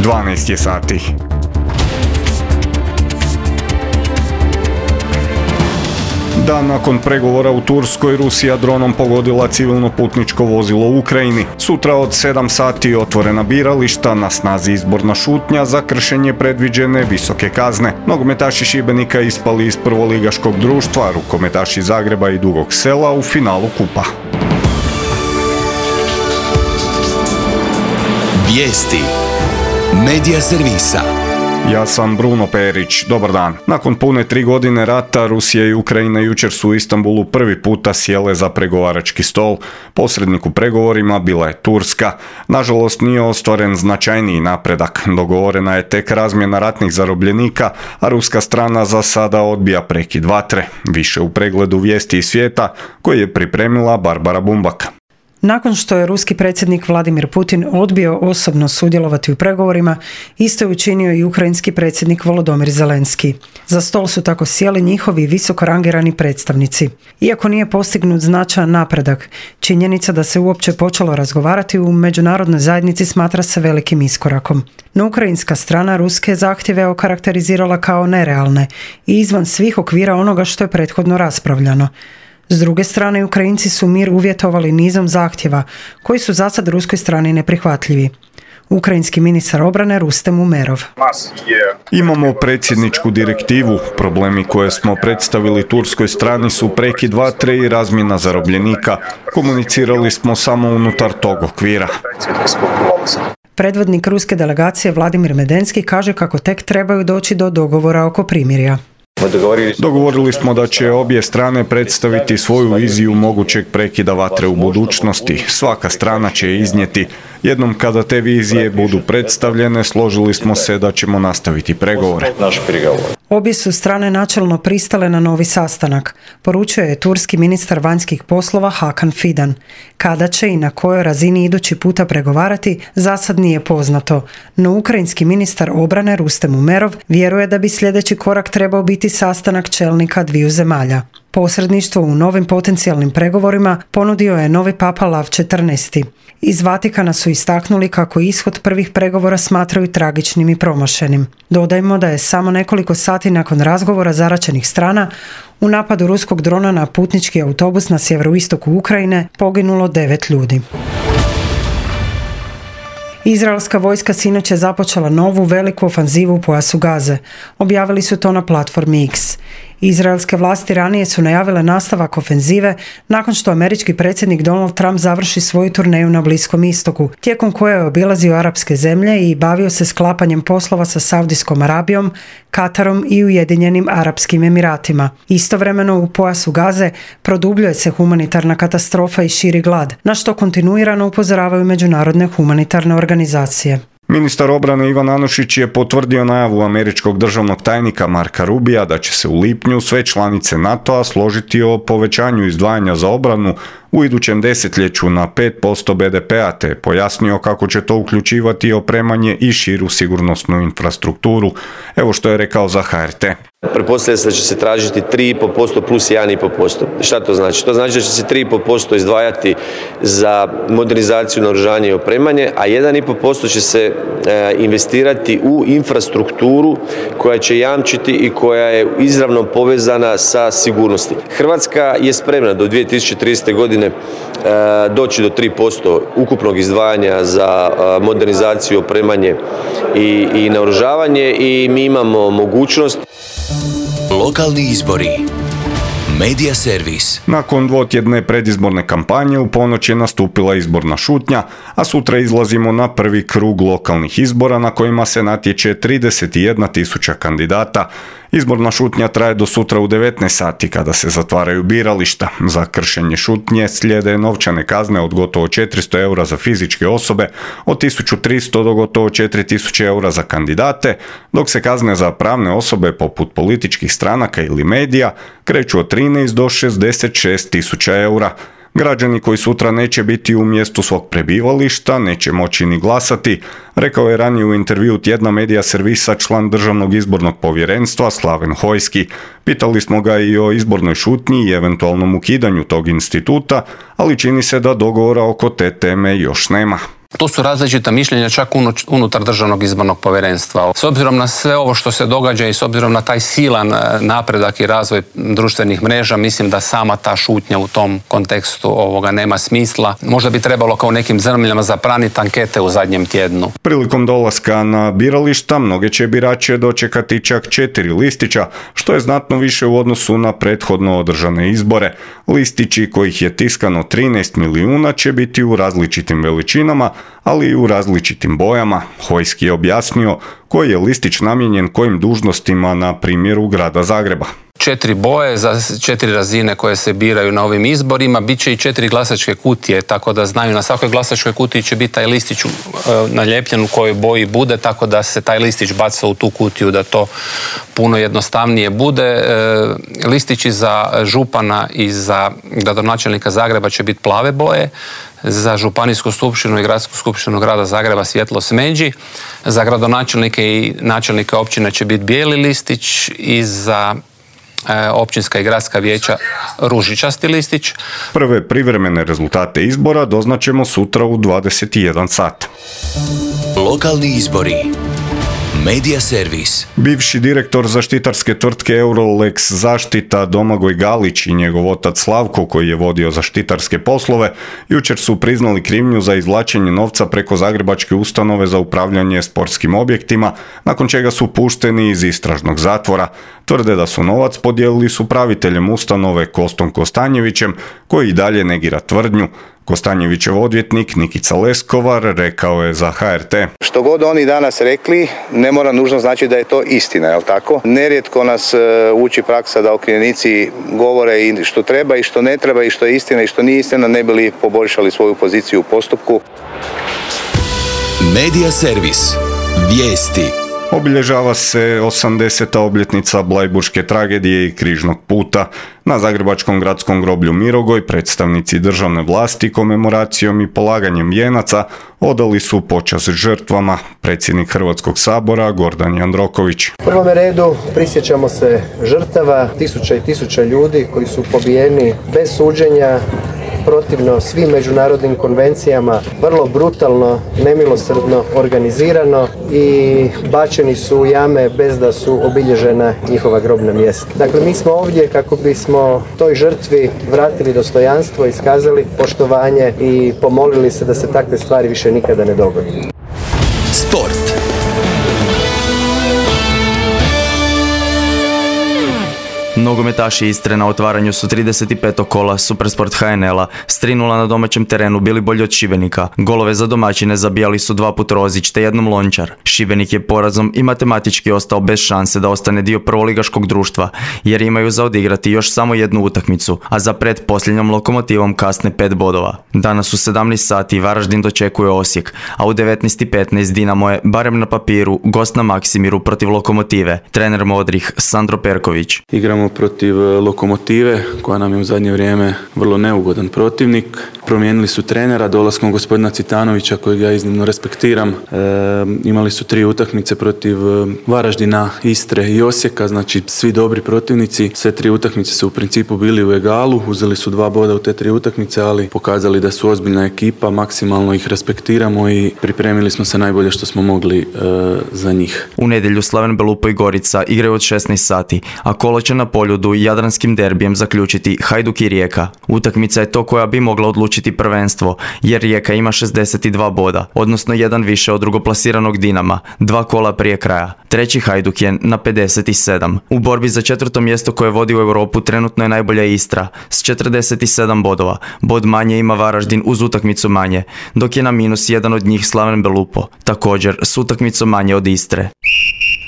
12 je sati. Dan nakon pregovora u Turskoj, Rusija dronom pogodila civilno putničko vozilo u Ukrajini. Sutra od 7 sati otvorena birališta, na snazi izborna šutnja za kršenje predviđene visoke kazne. Nogometaši Šibenika ispali iz prvoligaškog društva, rukometaši Zagreba i Dugog Sela u finalu kupa. Vijesti Medija servisa. Ja sam Bruno Perić, dobar dan. Nakon pune 3 godine rata, Rusija i Ukrajina jučer su u Istanbulu prvi puta sjele za pregovarački stol. Posrednik u pregovorima bila je Turska. Nažalost, nije ostvaren značajniji napredak. Dogovorena je tek razmjena ratnih zarobljenika, a ruska strana za sada odbija prekid vatre. Više u pregledu vijesti iz svijeta koji je pripremila Barbara Bumbak. Nakon što je ruski predsjednik Vladimir Putin odbio osobno sudjelovati u pregovorima, isto je učinio i ukrajinski predsjednik Volodymyr Zelenski. Za stol su tako sjeli njihovi visoko rangirani predstavnici. Iako nije postignut značajan napredak, činjenica da se uopće počelo razgovarati u međunarodnoj zajednici smatra se velikim iskorakom. No ukrajinska strana ruske zahtjeve okarakterizirala kao nerealne i izvan svih okvira onoga što je prethodno raspravljano. S druge strane, Ukrajinci su mir uvjetovali nizom zahtjeva, koji su zasad ruskoj strani neprihvatljivi. Ukrajinski ministar obrane Rustem Umerov. Imamo predsjedničku direktivu. Problemi koje smo predstavili turskoj strani su prekid vatre i razmjena zarobljenika. Komunicirali smo samo unutar tog okvira. Predvodnik ruske delegacije Vladimir Medenski kaže kako tek trebaju doći do dogovora oko primirja. Dogovorili smo da će obje strane predstaviti svoju viziju mogućeg prekida vatre u budućnosti. Svaka strana će iznijeti. Jednom kada te vizije budu predstavljene, složili smo se da ćemo nastaviti pregovore. Obje su strane načelno pristale na novi sastanak, poručio je turski ministar vanjskih poslova Hakan Fidan. Kada će i na kojoj razini idući puta pregovarati, zasad nije poznato, no ukrajinski ministar obrane Rustem Umerov vjeruje da bi sljedeći korak trebao biti sastanak čelnika dviju zemalja. Posredništvo u novim potencijalnim pregovorima ponudio je novi papa Lav XIV. Iz Vatikana su istaknuli kako ishod prvih pregovora smatraju tragičnim i promašenim. Dodajmo da je samo nekoliko sati nakon razgovora zaraćenih strana u napadu ruskog drona na putnički autobus na sjeveroistoku Ukrajine poginulo 9 ljudi. Izraelska vojska sinoć je započela novu veliku ofanzivu u pojasu Gaze. Objavili su to na platformi X. Izraelske vlasti ranije su najavile nastavak ofenzive nakon što američki predsjednik Donald Trump završi svoju turneju na Bliskom istoku, tijekom koje je obilazio arapske zemlje i bavio se sklapanjem poslova sa Saudijskom Arabijom, Katarom i Ujedinjenim Arapskim Emiratima. Istovremeno u pojasu Gaze produbljuje se humanitarna katastrofa i širi glad, na što kontinuirano upozoravaju međunarodne humanitarne organizacije. Ministar obrane Ivan Anušić je potvrdio najavu američkog državnog tajnika Marka Rubija da će se u lipnju sve članice NATO-a složiti o povećanju izdvajanja za obranu u idućem desetljeću na 5% BDP-a, te pojasnio kako će to uključivati opremanje i širu sigurnosnu infrastrukturu. Evo što je rekao za HRT. Pretpostavlja se da će se tražiti 3,5% plus 1,5%. Šta to znači? To znači da će se 3,5% izdvajati za modernizaciju, naoružanje i opremanje, a 1,5% će se investirati u infrastrukturu koja će jamčiti i koja je izravno povezana sa sigurnosti. Hrvatska je spremna do 2030. godine doći do 3% ukupnog izdvajanja za modernizaciju, opremanje i naoružavanje i mi imamo mogućnost. Lokalni izbori. Medija servis. Nakon dvotjedne predizborne kampanje u ponoć je nastupila izborna šutnja, a sutra izlazimo na prvi krug lokalnih izbora na kojima se natječe 31.000 kandidata. Izborna šutnja traje do sutra u 19 sati kada se zatvaraju birališta. Za kršenje šutnje slijede novčane kazne od gotovo 400 eura za fizičke osobe, od 1300 do gotovo 4000 eura za kandidate, dok se kazne za pravne osobe poput političkih stranaka ili medija kreću od 13 do 66.000 eura. Građani koji sutra neće biti u mjestu svog prebivališta neće moći ni glasati, rekao je ranije u intervjuu tjedna Medija servisa član Državnog izbornog povjerenstva Slaven Hojski. Pitali smo ga i o izbornoj šutnji i eventualnom ukidanju tog instituta, ali čini se da dogovora oko te teme još nema. Tu su različita mišljenja čak unutar Državnog izbornog povjerenstva. S obzirom na sve ovo što se događa i s obzirom na taj silan napredak i razvoj društvenih mreža, mislim da sama ta šutnja u tom kontekstu nema smisla. Možda bi trebalo kao nekim zemljama zapraniti ankete u zadnjem tjednu. Prilikom dolaska na birališta mnoge će birače dočekati čak 4 listića, što je znatno više u odnosu na prethodno održane izbore. Listići kojih je tiskano 13 milijuna će biti u različitim veličinama, ali i u različitim bojama. Hojski je objasnio koji je listić namijenjen kojim dužnostima na primjeru grada Zagreba. 4 boje za 4 razine koje se biraju na ovim izborima, bit će i 4 glasačke kutije, tako da znaju na svakoj glasačkoj kutiji će biti taj listić naljepljen u kojoj boji bude, tako da se taj listić baca u tu kutiju da to puno jednostavnije bude. Listići za župana i za gradonačelnika Zagreba će biti plave boje, za županijsku skupštinu i gradsku skupštinu grada Zagreba svjetlo smeđi, za gradonačelnike i načelnike općine će biti bijeli listić i za općinska i gradska vijeća ružičasti listić. Prve privremene rezultate izbora doznaćemo sutra u 21 sat. Lokalni izbori. Medija servis. Bivši direktor zaštitarske tvrtke Eurolex Zaštita Domagoj Galić i njegov otac Slavko, koji je vodio zaštitarske poslove, jučer su priznali krivnju za izvlačenje novca preko Zagrebačke ustanove za upravljanje sportskim objektima, nakon čega su pušteni iz istražnog zatvora. Tvrde da su novac podijelili s upraviteljem ustanove Kostom Kostanjevićem, koji i dalje negira tvrdnju. Kostanjevićev odvjetnik Nikica Leskovar rekao je za HRT. Što god oni danas rekli, ne mora nužno znači da je to istina, jel tako? Nerijetko nas uči praksa da okrivljenici govore i što treba i što ne treba i što je istina i što nije istina, ne bi li poboljšali svoju poziciju u postupku. Medija servis. Vijesti. Obilježava se 80. obljetnica Blajburške tragedije i Križnog puta. Na Zagrebačkom gradskom groblju Mirogoj predstavnici državne vlasti komemoracijom i polaganjem vijenaca odali su počast žrtvama. Predsjednik Hrvatskog sabora Gordan Jandroković. U prvom redu prisjećamo se žrtava, tisuća i tisuća ljudi koji su pobijeni bez suđenja, protivno svim međunarodnim konvencijama, vrlo brutalno, nemilosrdno, organizirano i bačeni su u jame bez da su obilježena njihova grobna mjesta. Dakle, mi smo ovdje kako bismo toj žrtvi vratili dostojanstvo, iskazali poštovanje i pomolili se da se takve stvari više nikada ne dogode. Sport. Nogometaši Istre na otvaranju su 35. kola Supersport HNL-a s 3:0 na domaćem terenu bili bolji od Šibenika. Golove za domaćine zabijali su 2 puta Rozić te jednom Lončar. Šibenik je porazom i matematički ostao bez šanse da ostane dio prvoligaškog društva, jer imaju za odigrati još samo jednu utakmicu, a za pretposljednjom Lokomotivom kasne 5 bodova. Danas u 17 sati Varaždin dočekuje Osijek, a u 19:15 Dinamo je, barem na papiru, gost na Maksimiru protiv Lokomotive. Trener Modrih Sandro Perković. Igramo protiv Lokomotive, koja nam je u zadnje vrijeme vrlo neugodan protivnik. Promijenili su trenera dolaskom gospodina Citanovića, kojeg ja iznimno respektiram. Imali su 3 utakmice protiv Varaždina, Istre i Osijeka, znači svi dobri protivnici. Sve 3 utakmice su u principu bili u egalu, uzeli su 2 boda u te 3 utakmice, ali pokazali da su ozbiljna ekipa, maksimalno ih respektiramo i pripremili smo se najbolje što smo mogli za njih. U nedjelju Slaven Belupo i Gorica igraju od 16 sati, a kolo će na Poljudu jadranskim derbijem zaključiti Hajduk i Rijeka. Utakmica je to koja bi mogla odlučiti prvenstvo, jer Rijeka ima 62 boda, odnosno jedan više od drugoplasiranog Dinama, 2 kola prije kraja. Treći Hajduk je na 57. U borbi za 4. mjesto koje vodi u Europu trenutno je najbolja Istra s 47 bodova. Bod manje ima Varaždin uz utakmicu manje, dok je na minus jedan od njih Slaven Belupo, također s utakmicom manje od Istre.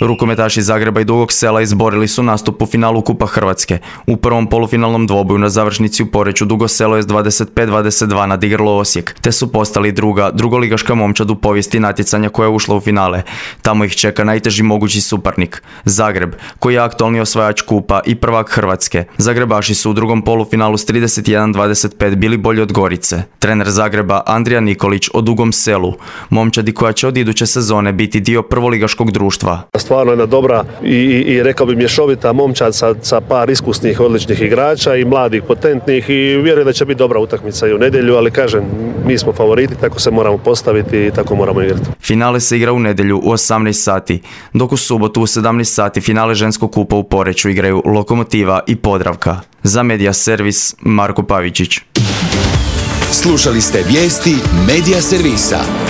Rukometaši Zagreba i Dugog Sela izborili su nastup u finalu Kupa Hrvatske. U prvom polufinalnom dvoboju na završnici u Poreču Dugo Selo je s 25-22 nadigralo Osijek, te su postali drugoligaška momčad u povijesti natjecanja koja je ušla u finale. Tamo ih čeka najteži mogući suparnik, Zagreb, koji je aktualni osvajač Kupa i prvak Hrvatske. Zagrebaši su u drugom polufinalu s 31-25 bili bolji od Gorice. Trener Zagreba Andrija Nikolić o Dugom Selu, momčadi koja će od iduće sezone biti dio prvoligaškog društva. stvarno jedna dobra i rekao bi mješovita momčad sa par iskusnih, odličnih igrača i mladih, potentnih, i vjerujem da će biti dobra utakmica i u nedjelju, ali kažem, mi smo favoriti, tako se moramo postaviti i tako moramo igrati. Finale se igra u nedjelju u 18 sati, dok u subotu u 17 sati finale ženskog kupa u Poreču igraju Lokomotiva i Podravka. Za Media Servis, Marko Pavičić. Slušali ste vijesti Media Servisa.